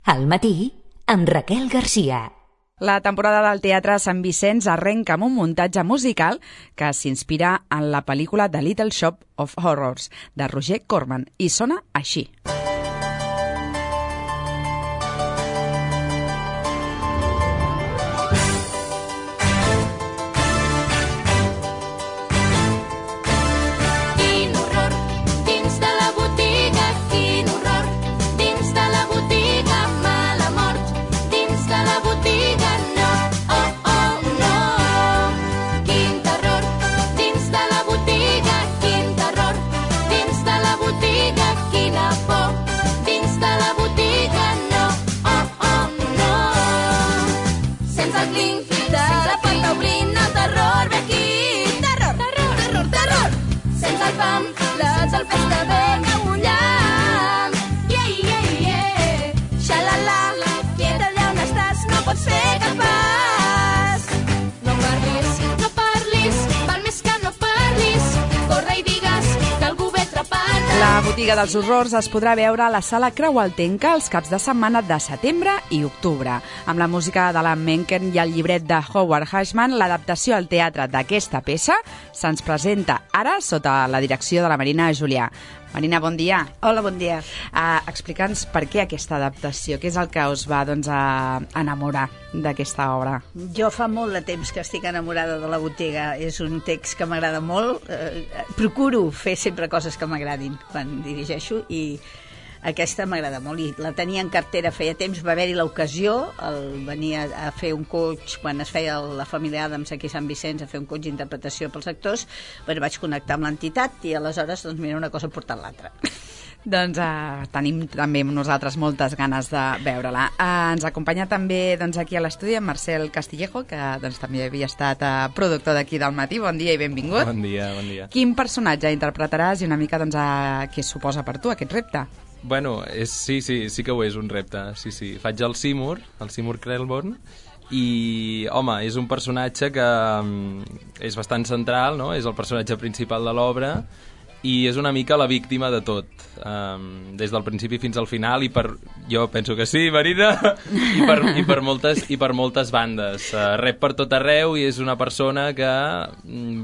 Al matí, amb Raquel Garcia. La temporada del Teatre Sant Vicenç arrenca amb un muntatge musical que s'inspira en la pel·lícula The Little Shop of Horrors, de Roger Corman, i sona així. La botiga dels horrors es podrà veure a la sala Creualtenca els caps de setmana de setembre i octubre. Amb la música de la Menken i el llibret de Howard Ashman, l'adaptació al teatre d'aquesta peça se'ns presenta ara sota la direcció de la Marina Julià. Marina, bon dia. Hola, bon dia. Explica'ns per què aquesta adaptació, què és el que us va enamorar d'aquesta obra? Jo fa molt de temps que estic enamorada de la botiga. És un text que m'agrada molt. Procuro fer sempre coses que m'agradin quan dirigeixo i aquesta m'agrada molt i la tenia en cartera feia temps. Va haver-hi l'ocasió, venia a fer un coach quan es feia la família Adams aquí a Sant Vicenç, a fer un coach d'interpretació pels actors. Bueno, vaig connectar amb l'entitat i aleshores, doncs mira, una cosa ha portat l'altra. Doncs tenim també nosaltres moltes ganes de veure-la. Ens acompanya també aquí a l'estudi en Marcel Castillejo, que també havia estat productor d'aquí del matí. Bon dia i benvingut. Bon dia, bon dia. Quin personatge interpretaràs i una mica què suposa per tu aquest repte? Bueno, sí que ho és un repte. Sí. Faig el Seymour Krelborn, i, home, és un personatge que és bastant central, no? És el personatge principal de l'obra i és una mica la víctima de tot, des del principi fins al final, jo penso que sí, Marina, i per moltes bandes. Rep per tot arreu i és una persona que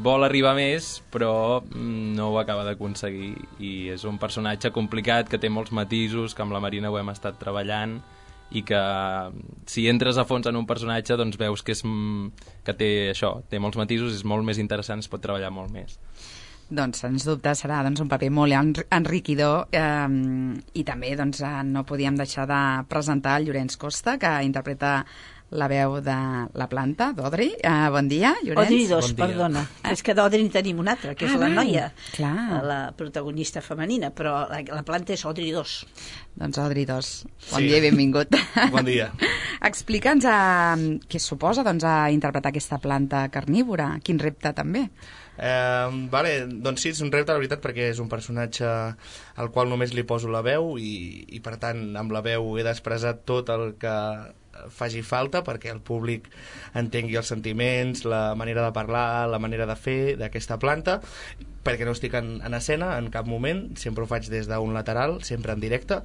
vol arribar més, però no ho acaba d'aconseguir. I és un personatge complicat, que té molts matisos, que amb la Marina ho hem estat treballant, i que si entres a fons en un personatge doncs veus que té molts matisos, és molt més interessant, es pot treballar molt més. Doncs, sens dubte, serà un paper molt enriquidor i també no podíem deixar de presentar el Llorenç Costa, que interpreta la veu de la planta, d'Audrey. Bon dia, Llorenç. Audrey 2, bon perdona. És que d'Audrey tenim una altra, que és la noia, la protagonista femenina, però la planta és Audrey 2. Doncs Audrey 2. Bon dia i benvingut. Bon dia. Explica'ns què suposa interpretar aquesta planta carnívora. Quin repte també. Doncs sí, és un repte, la veritat, perquè és un personatge al qual només li poso la veu i per tant amb la veu he d'expressar tot el que faci falta perquè el públic entengui els sentiments, la manera de parlar, la manera de fer d'aquesta planta, perquè no estic en escena en cap moment, sempre ho faig des d'un lateral, sempre en directe.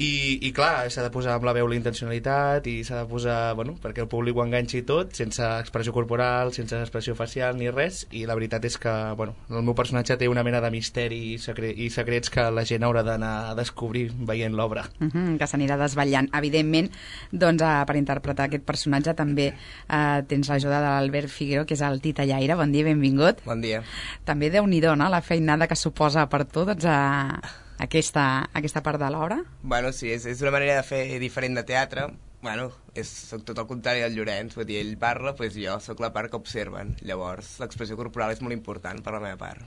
I clar, s'ha de posar amb la veu la intencionalitat i s'ha de posar, perquè el públic ho enganxi tot, sense expressió corporal, sense expressió facial ni res, i la veritat és que, el meu personatge té una mena de misteri i secrets que la gent haurà d'anar a descobrir veient l'obra. Que s'anirà desvetllant. Evidentment, per interpretar aquest personatge també tens l'ajuda de l'Albert Figuero, que és el titellaire. Bon dia i benvingut. Bon dia. També Déu-n'hi-do, no?, la feinada que suposa per tu, aquesta part de l'obra? Bueno, sí, és una manera de fer diferent de teatre. Soc tot el contrari del Llorenç, vull dir, ell parla, doncs jo soc la part que observen. Llavors, l'expressió corporal és molt important per la meva part.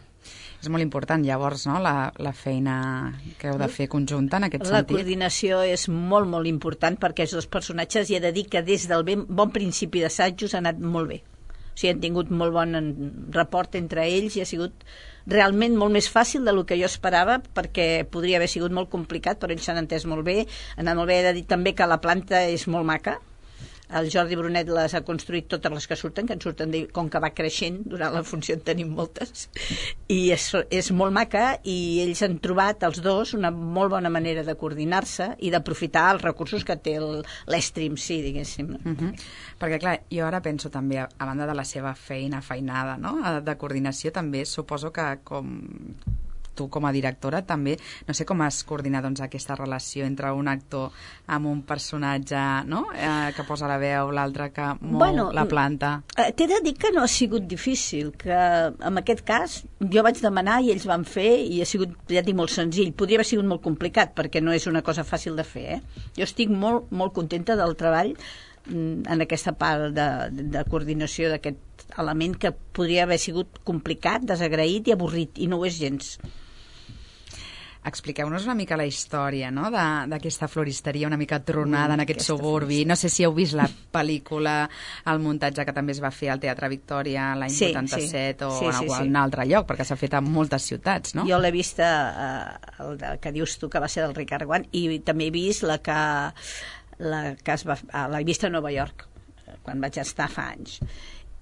És molt important, llavors, no?, la feina que heu de fer conjunta en aquest sentit. La coordinació és molt, molt important perquè els dos personatges, i he de dir que des del bon principi d'assajos ha anat molt bé. O sigui, han tingut molt bon rapport entre ells i ha sigut realment molt més fàcil del que jo esperava, perquè podria haver sigut molt complicat, però ells s'han entès molt bé. Ha anat molt bé. He de dir també que la planta és molt maca, El Jordi Brunet les ha construït totes les que surten, que en surten, com que va creixent, durant la funció en tenim moltes, i és molt maca, i ells han trobat, els dos, una molt bona manera de coordinar-se i d'aprofitar els recursos que té l'Stream, sí, diguéssim. Perquè, clar, jo ara penso també, a banda de la seva feinada, no?, de coordinació, també suposo que tu com a directora també, no sé com has coordinat doncs, aquesta relació entre un actor amb un personatge, no?, que posa la veu, l'altre que mou la planta. T'he de dir que no ha sigut difícil, que en aquest cas jo vaig demanar i ells van fer i ha sigut, ja et dic, molt senzill. Podria haver sigut molt complicat perquè no és una cosa fàcil de fer, Jo estic molt, molt contenta del treball en aquesta part de coordinació d'aquest element que podria haver sigut complicat, desagraït i avorrit, i no ho és gens. Expliqueu-nos una mica la història, no?, d'aquesta floristeria una mica tronada en aquest suburbi. No sé si heu vist la pel·lícula, el muntatge que també es va fer al Teatre Victòria l'any 87 o en algun altre lloc, perquè s'ha fet a moltes ciutats, no? Jo l'he vist, que dius tu, que va ser del Ricard Guant, i també he vist l'he vist a Nova York, quan vaig estar fa anys.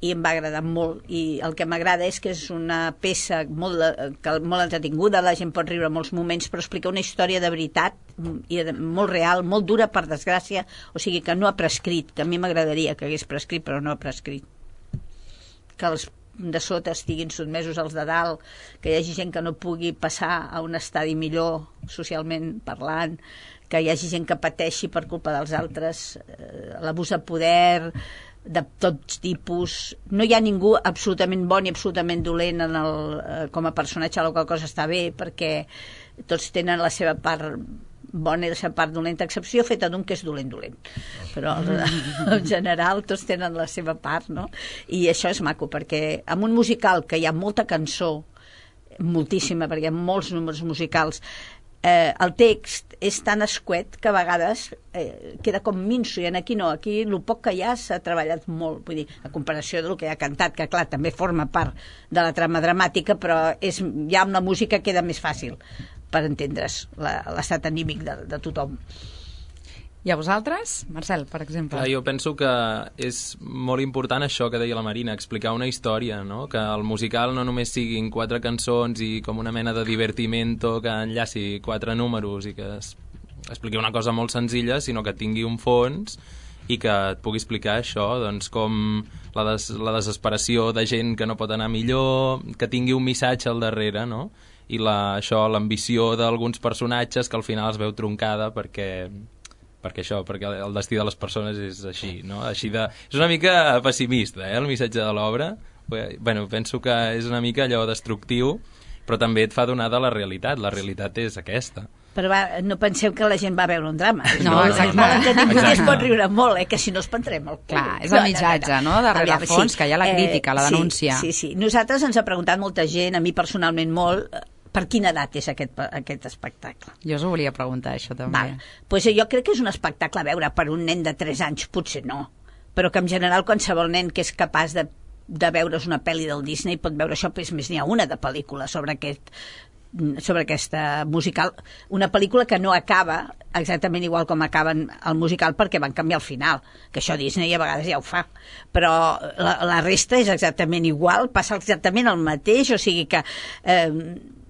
I em va agradar molt, i el que m'agrada és que és una peça molt entretinguda, la gent pot riure molts moments, però explica una història de veritat i molt real, molt dura, per desgràcia, o sigui que no ha prescrit, que a mi m'agradaria que hagués prescrit, però no ha prescrit. Que els de sota estiguin sotmesos als de dalt, que hi hagi gent que no pugui passar a un estadi millor socialment parlant, que hi hagi gent que pateixi per culpa dels altres, l'abús de poder de tots tipus. No hi ha ningú absolutament bon i absolutament dolent com a personatge, la qual cosa està bé, perquè tots tenen la seva part bona i la seva part dolenta, excepció feta d'un que és dolent. Però en general tots tenen la seva part, no? I això és maco, perquè en un musical que hi ha molta cançó, moltíssima, perquè hi ha molts números musicals, el text és tan escuet que a vegades queda com minso, i aquí no, aquí el poc que hi ha s'ha treballat molt, vull dir, a comparació del que hi ha cantat, que clar, també forma part de la trama dramàtica, però ja amb la música queda més fàcil per entendre's l'estat anímic de tothom. I a vosaltres? Marcel, per exemple. Jo penso que és molt important això que deia la Marina, explicar una història, no? Que el musical no només siguin 4 cançons i com una mena de divertimento que enllaci 4 números i que expliqui una cosa molt senzilla, sinó que tingui un fons i que et pugui explicar això, doncs com la desesperació de gent que no pot anar millor, que tingui un missatge al darrere, no? I l'ambició d'alguns personatges que al final es veu troncada perquè el destí de les persones és així, no? És una mica pessimista, el missatge de l'obra. Bueno, penso que és una mica allò destructiu, però també et fa donar de la realitat. La realitat és aquesta. Però no penseu que la gent va veure un drama. No, exacte. Molt entretingut i es pot riure molt, que si no es prendrem el cul. Clar, és el missatge, no? Darrere el fons, que hi ha la crítica, la denúncia. Sí. Nosaltres ens ha preguntat molta gent, a mi personalment molt, per quina edat és aquest espectacle? Jo us ho volia preguntar, això també. Pues jo crec que és un espectacle a veure per un nen de 3 anys, potser no, però que en general qualsevol nen que és capaç de veure's una pel·li del Disney pot veure això, però més n'hi ha una de pel·lícula sobre aquesta musical, una pel·lícula que no acaba exactament igual com acaba el musical perquè van canviar el final, que això Disney a vegades ja ho fa, però la resta és exactament igual, passa exactament el mateix, o sigui que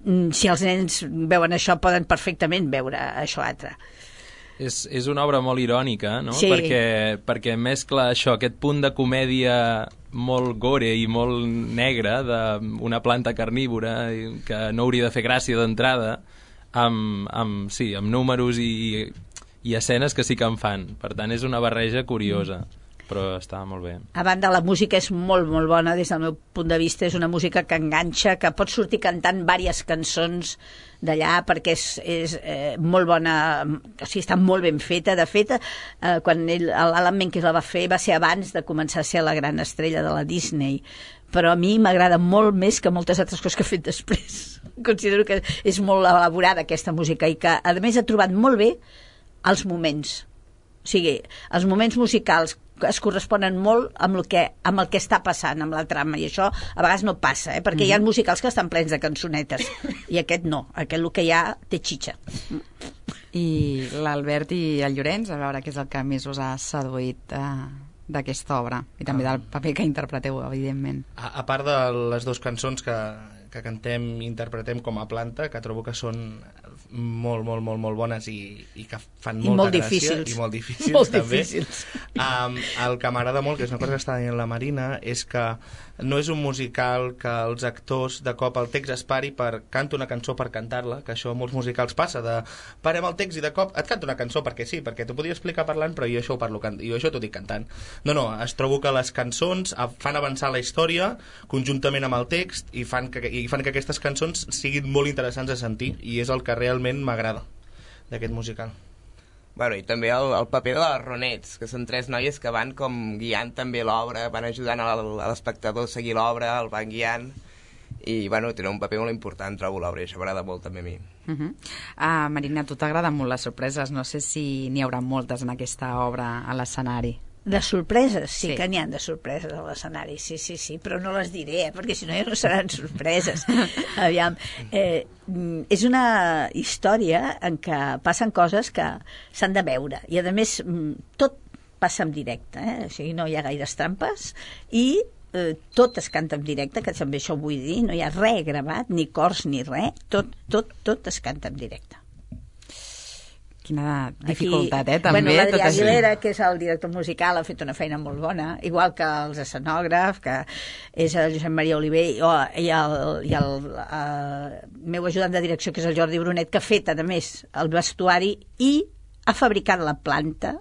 si els nens veuen això poden perfectament veure això altre. És una obra molt irònica, no? Sí. Perquè mescla això, aquest punt de comèdia molt gore i molt negre d'una planta carnívora que no hauria de fer gràcia d'entrada amb números i escenes que sí que en fan. Per tant, és una barreja curiosa, però està molt bé. A banda, la música és molt, molt bona des del meu punt de vista. És una música que enganxa, que pots sortir cantant diverses cançons d'allà perquè és molt bona, o sigui, està molt ben feta. De fet, quan l'Alan Menken la va fer va ser abans de començar a ser la gran estrella de la Disney, però a mi m'agrada molt més que moltes altres coses que ha fet després. Considero que és molt elaborada aquesta música i que a més ha trobat molt bé els moments. O sigui, els moments musicals es corresponen molt amb el que està passant, amb la trama, i això a vegades no passa, perquè hi ha musicals que estan plens de cançonetes, i aquest no, aquest el que hi ha té xitxa. I l'Albert i el Llorenç, a veure què és el que més us ha seduït d'aquesta obra, i també del paper que interpreteu, evidentment. A part de les dues cançons que cantem i interpretem com a planta, que trobo que són molt bones i que fan molta gràcia. I molt difícils. Molt també. difícils. El que m'agrada molt, que és una cosa que està dient la Marina, és que no és un musical que els actors de cop el text es pari per canto una cançó per cantar-la, que això a molts musicals passa, de parem el text i de cop et canto una cançó perquè sí, perquè t'ho podia explicar parlant, però jo això ho parlo jo això t'ho dic cantant. No, es trobo que les cançons fan avançar la història conjuntament amb el text i fan que aquestes cançons siguin molt interessants a sentir, i és el que realment m'agrada d'aquest musical. Bueno, i també el paper de les Ronets, que són 3 noies que van com guiant també l'obra, van ajudant a l'espectador a seguir l'obra, el van guiant, i bueno, tenen un paper molt important, trobo l'obra, i això m'agrada molt també a mi. Marina, a tu t'agraden molt les sorpreses, no sé si n'hi haurà moltes en aquesta obra a l'escenari. De sorpreses, sí que n'hi ha de sorpreses a l'escenari, sí, però no les diré, perquè si no ja no seran sorpreses. Aviam, és una història en què passen coses que s'han de veure, i a més tot passa en directe, o sigui, no hi ha gaires trampes, i tot es canta en directe, que també això ho vull dir, no hi ha res gravat, ni cors ni res, tot es canta en directe. Quina dificultat, també. Bueno, l'Adrià Aguilera, que és el director musical, ha fet una feina molt bona, igual que els escenògrafs, que és el Josep Maria Oliver, i el meu ajudant de direcció, que és el Jordi Brunet, que ha fet, a més, el vestuari i ha fabricat la planta,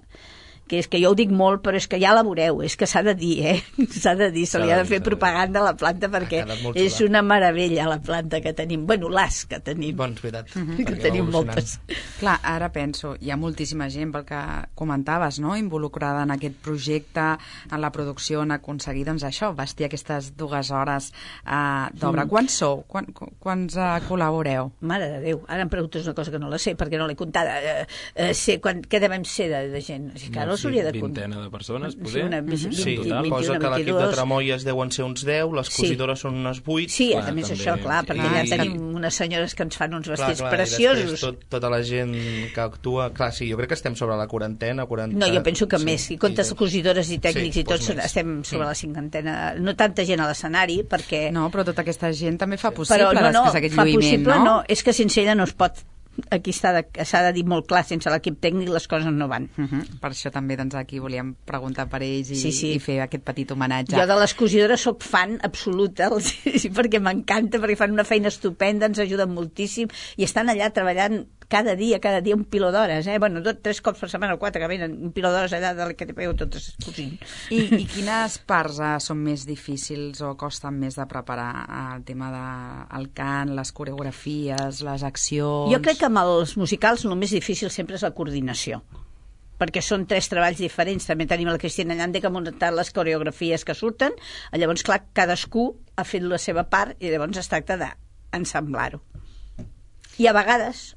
que és que jo ho dic molt, però és que ja la veureu, és que s'ha de dir, s'ha de dir, se li ha de fer propaganda a la planta, perquè és una meravella la planta que tenim, bueno, les que tenim. Doncs veritat. Que tenim moltes. Clar, ara penso, hi ha moltíssima gent, pel que comentaves, no?, involucrada en aquest projecte, en la producció, en aconseguir, doncs això, vestir aquestes 2 hores d'obra. Quants sou? Quants col·laboreu? Mare de Déu, ara em preguntes una cosa que no la sé, perquè no l'he comptada. Què devem ser de gent? Claro, vintena de persones, poder? Sí, posa que l'equip de Tramolles deuen ser uns 10, les cosidores són unes 8. Sí, a més això, clar, perquè allà tenim unes senyores que ens fan uns vestits preciosos. Tota la gent que actua, clar, sí, jo crec que estem sobre la quarantena, 40... No, jo penso que més, i comptes cosidores i tècnics i tots, estem sobre la 50ena. No tanta gent a l'escenari, perquè... No, però tota aquesta gent també fa possible després aquest lluïment, no? No, és que sense ella no es pot... Aquí s'ha de dir molt clar, sense l'equip tècnic les coses no van. Per això també doncs, aquí volíem preguntar per ells i fer aquest petit homenatge. Jo de les cosidores soc fan absoluta, perquè m'encanta, perquè fan una feina estupenda, ens ajuden moltíssim i estan allà treballant cada dia un piló d'hores, bueno, 3 cops per setmana o 4 que venen un piló d'hores allà de que te pego totes cosint. I quines parts són més difícils o costen més de preparar? El tema del cant, les coreografies, les accions... Jo crec que amb els musicals el més difícil sempre és la coordinació, perquè són 3 treballs diferents. També tenim la Cristina Llande que ha muntat les coreografies que surten, llavors clar, cadascú ha fet la seva part i llavors es tracta d'ensamblar-ho. I a vegades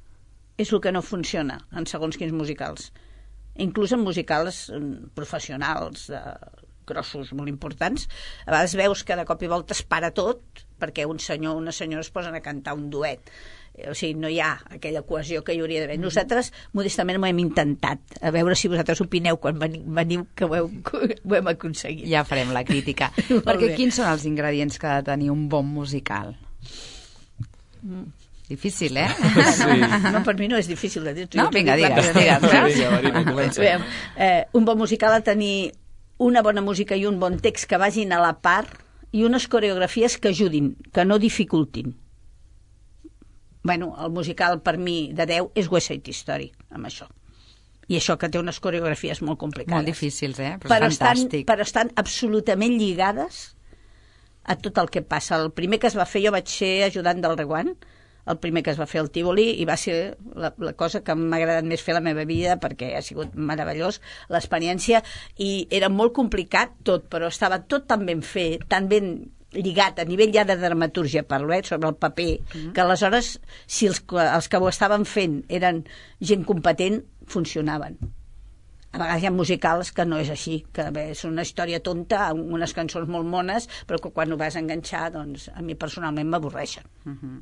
és el que no funciona en segons quins musicals, inclús en musicals professionals grossos, molt importants. A vegades veus que de cop i volta es para tot perquè un senyor o una senyora es posen a cantar un duet, o sigui, no hi ha aquella cohesió que hi hauria d'haver. Nosaltres modestament ho hem intentat, a veure si vosaltres opineu quan veniu que ho hem aconseguit. Ja farem la crítica. Perquè quins són els ingredients que ha de tenir un bon musical? Difícil, Sí. No, per mi no és difícil de dir. No, vinga, digues. Un bon musical ha de tenir una bona música i un bon text que vagin a la part i unes coreografies que ajudin, que no dificultin. Bueno, el musical per mi de 10 és West Side Story, amb això. I això que té unes coreografies molt complicades. Molt difícils, però fantàstic. Però estan absolutament lligades a tot el que passa. El primer que es va fer, jo vaig ser ajudant del Reguant, el primer que es va fer al Tívoli, i va ser la cosa que m'ha agradat més fer a la meva vida, perquè ha sigut meravellós l'experiència, i era molt complicat tot, però estava tot tan ben fet, tan ben lligat a nivell ja de dramatúrgia, parlo, sobre el paper, que aleshores, si els que ho estaven fent eren gent competent, funcionaven. A vegades hi ha musicals que no és així, que bé, és una història tonta, amb unes cançons molt mones, però que quan ho vas enganxar, doncs a mi personalment m'avorreixen.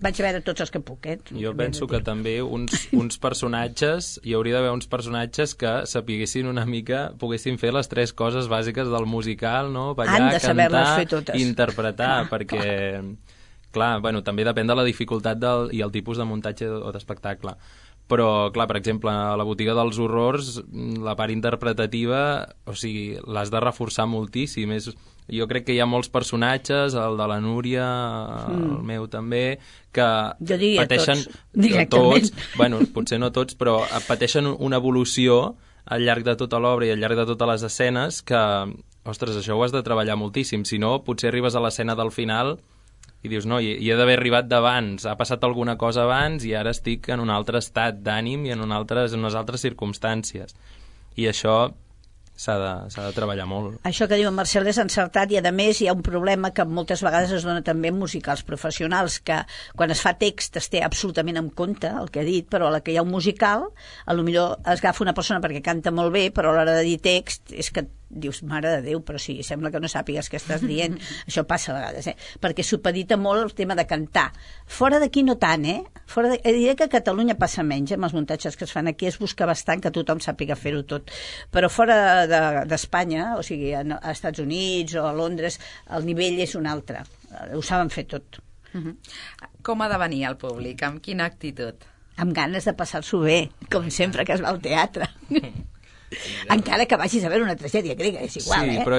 Vaig veure tots els que puc, Jo penso que també uns personatges, hi hauria d'haver uns personatges que sapiguessin una mica, poguessin fer les 3 coses bàsiques del musical, no? Ballar, cantar i interpretar, perquè, clar, bueno, també depèn de la dificultat i el tipus de muntatge o d'espectacle. Però, clar, per exemple, a la botiga dels horrors, la part interpretativa, o sigui, l'has de reforçar moltíssim. Jo crec que hi ha molts personatges, el de la Núria, el meu també, que jo diria pateixen... Tots. Bueno, potser no tots, però pateixen una evolució al llarg de tota l'obra i al llarg de totes les escenes que, ostres, això ho has de treballar moltíssim. Si no, potser arribes a l'escena del final i dius, no, hi he d'haver arribat d'abans, ha passat alguna cosa abans i ara estic en un altre estat d'ànim i en unes altres circumstàncies. I això s'ha de treballar molt. Això que diu en Marcel és encertat, i a més hi ha un problema que moltes vegades es dona també en musicals professionals, que quan es fa text es té absolutament en compte el que ha dit, però a la que hi ha un musical potser es agafa una persona perquè canta molt bé, però a l'hora de dir text és que dius, mare de Déu, però sí, sembla que no sàpigues què estàs dient. Això passa a vegades, perquè supedita molt el tema de cantar. Fora d'aquí no tant, diré que a Catalunya passa menys, amb els muntatges que es fan aquí es busca bastant que tothom sàpiga fer-ho tot, però fora d'Espanya, o sigui, a Estats Units o a Londres, el nivell és un altre, ho saben fer tot. Com ha de venir el públic? Amb quina actitud? Amb ganes de passar-s'ho bé, com sempre que es va al teatre. Encara que vagis a veure una tragèdia grega, és igual, Sí, però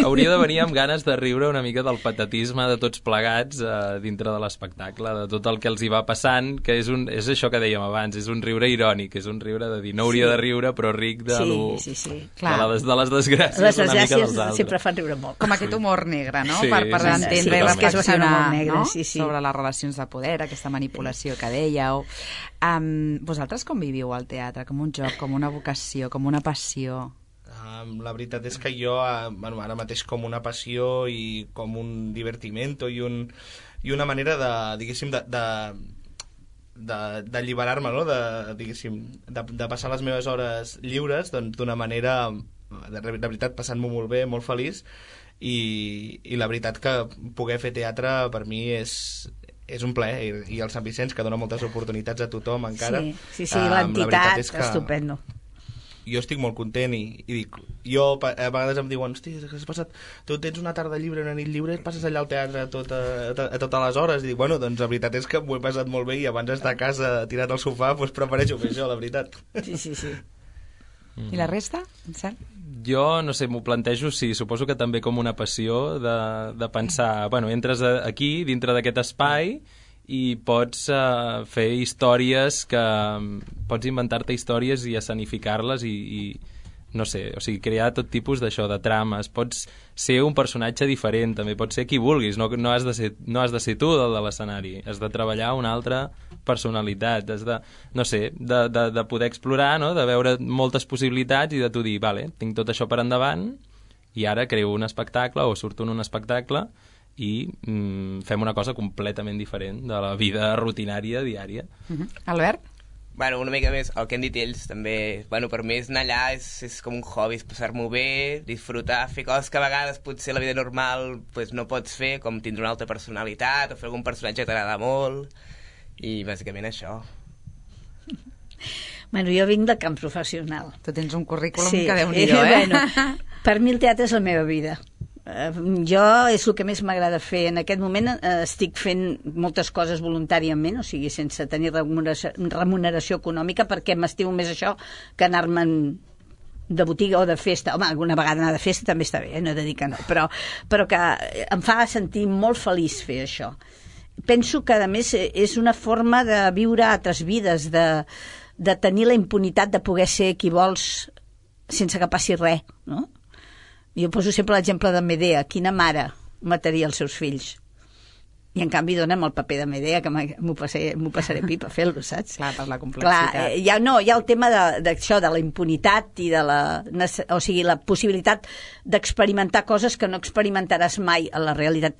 hauria de venir amb ganes de riure una mica del patatisme de tots plegats dintre de l'espectacle, de tot el que els hi va passant, que és això que dèiem abans, és un riure irònic, és un riure de dir, no hauria de riure, però ric de les desgràcies les una mica dels altres. sempre fan riure molt. Com aquest humor negre, no? Sí, per entendre i reflexionar sobre les relacions de poder, aquesta manipulació que dèieu. Vosaltres com viviu el teatre? Com un joc, com una vocació, com una passió? La veritat és que jo, ara mateix com una passió i com un divertimento i una manera de, diguéssim, d'alliberar-me, no? de passar les meves hores lliures d'una manera, de veritat, passant-m'ho molt bé, molt feliç, i la veritat que poder fer teatre per mi és un plaer, i el Sant Vicenç, que dona moltes oportunitats a tothom encara. Sí, l'entitat, estupendo. Jo estic molt content i dic, a vegades em diuen, hosti, has passat, tu tens una tarda lliure, una nit lliure, passes allà al teatre a totes les hores, i dic, bueno, doncs la veritat és que m'ho he passat molt bé i abans d'estar a casa tirat al sofà, doncs prefereixo fer això, la veritat. Sí. I la resta, Cert? Jo, no sé, m'ho plantejo, sí, suposo que també com una passió de pensar, bueno, entres aquí, dintre d'aquest espai, i pots fer històries pots inventar-te històries i escenificar-les i no sé, o sigui, crear tot tipus d'això, de trames. Pots ser un personatge diferent, també pots ser qui vulguis, no has de ser tu del de l'escenari, has de treballar una altra personalitat, has de, no sé, de poder explorar, no? De veure moltes possibilitats i de tu dir, vale, tinc tot això per endavant i ara creo un espectacle o surto en un espectacle i fem una cosa completament diferent de la vida rutinària diària. Albert? Bueno, una mica més, el que han dit ells també, bueno, per mi és anar allà, és com un hobby, és passar-m'ho bé, disfrutar, fer coses que a vegades potser a la vida normal pues, no pots fer, com tindre una altra personalitat o fer algun personatge que t'agrada molt, i bàsicament això. Bueno, jo vinc del camp professional. Tu tens un currículum que Déu-n'hi-do, Bueno, per mi el teatre és la meva vida. Jo és el que més m'agrada fer. En aquest moment estic fent moltes coses voluntàriament, o sigui, sense tenir remuneració econòmica, perquè m'estimo més això que anar-me'n de botiga o de festa. Home, alguna vegada anar de festa també està bé, no he de dir que no, però que em fa sentir molt feliç fer això. Penso que, a més, és una forma de viure altres vides, de tenir la impunitat de poder ser qui vols sense que passi res, no? Jo poso sempre l'exemple de Medea. Quina mare mataria els seus fills? I en canvi dona'm el paper de Medea, que m'ho passaré pipa a fer-lo, saps? Clar, per la complexitat. Clar, hi ha el tema d'això, de la impunitat i de la possibilitat d'experimentar coses que no experimentaràs mai a la realitat.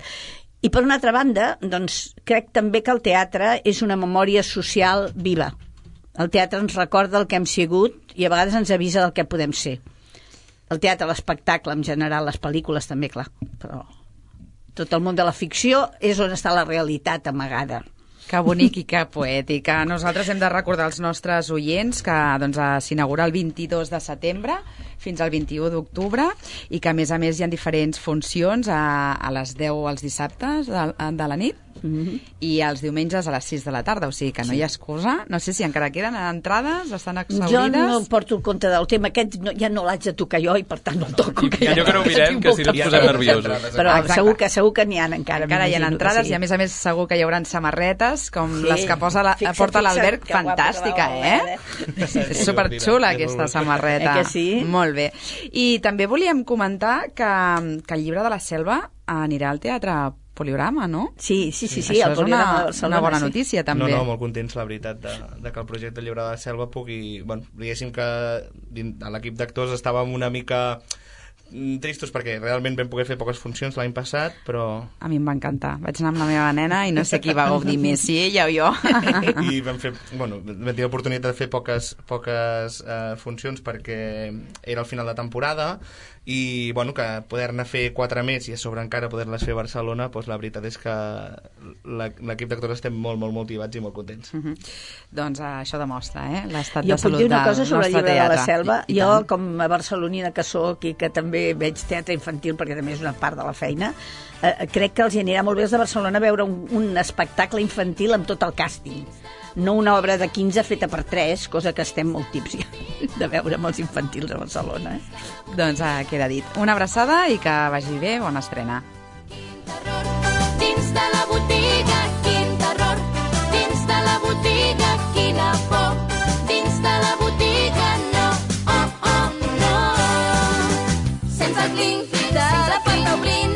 I per una altra banda, doncs, crec també que el teatre és una memòria social viva. El teatre ens recorda el que hem sigut i a vegades ens avisa del que podem ser. el teatre, l'espectacle en general, les pel·lícules també, clar, però tot el món de la ficció és on està la realitat amagada. Que bonic i que poètic. Nosaltres hem de recordar als nostres oients que doncs, s'inaugura el 22 de setembre fins al 21 d'octubre i que, a més, hi ha diferents funcions a les 10 els dissabtes de la nit i els diumenges a les 6 de la tarda, o sigui que no hi ha excusa. No sé si encara queden entrades, estan exhaurides. Jo no porto el compte del tema aquest, ja no l'haig de tocar jo i per tant no el toco. Allò que no ho mirem, que si no ens posem nerviosos. Però segur que n'hi ha encara. Encara hi ha entrades i a més segur que hi haurà samarretes com les que porta l'Albert, fantàstica, És superxula aquesta samarreta. Que sí? Molt bé. I també volíem comentar que el llibre de la Selva anirà al Teatre Poliorama, no? Sí, això el Poliorama de Barcelona. És una bona notícia, també. No, molt contents, la veritat, de que el projecte Llibre de la Selva pugui... Bueno, diguéssim que a l'equip d'actors estàvem una mica tristos perquè realment vam poder fer poques funcions l'any passat, però... A mi em va encantar. Vaig anar amb la meva nena i no sé qui va gaudir més, si ella o jo. I vam tenir l'oportunitat de fer poques funcions perquè era el final de temporada i que poder-ne fer 4 més i a sobre encara poder-les fer a Barcelona, doncs la veritat és que l'equip d'actors estem molt, molt motivats i molt contents. Doncs això demostra l'estat de salut del nostre teatre. Jo puc dir una cosa sobre el Llibre de la Selva. Jo, com a barcelonina que soc i que també veig teatre infantil perquè també és una part de la feina, crec que els anirà molt bé els de Barcelona veure un espectacle infantil amb tot el càsting, no una obra de 15 feta per 3, cosa que estem molt tips ja de veure amb els infantils a Barcelona. Doncs queda dit. Una abraçada i que vagi bé, bona estrena. Dins de la botiga, quin terror. Dins de la botiga, quina por. Dins de la botiga, no, oh, oh, no. Sense el clinc de la porta obrint,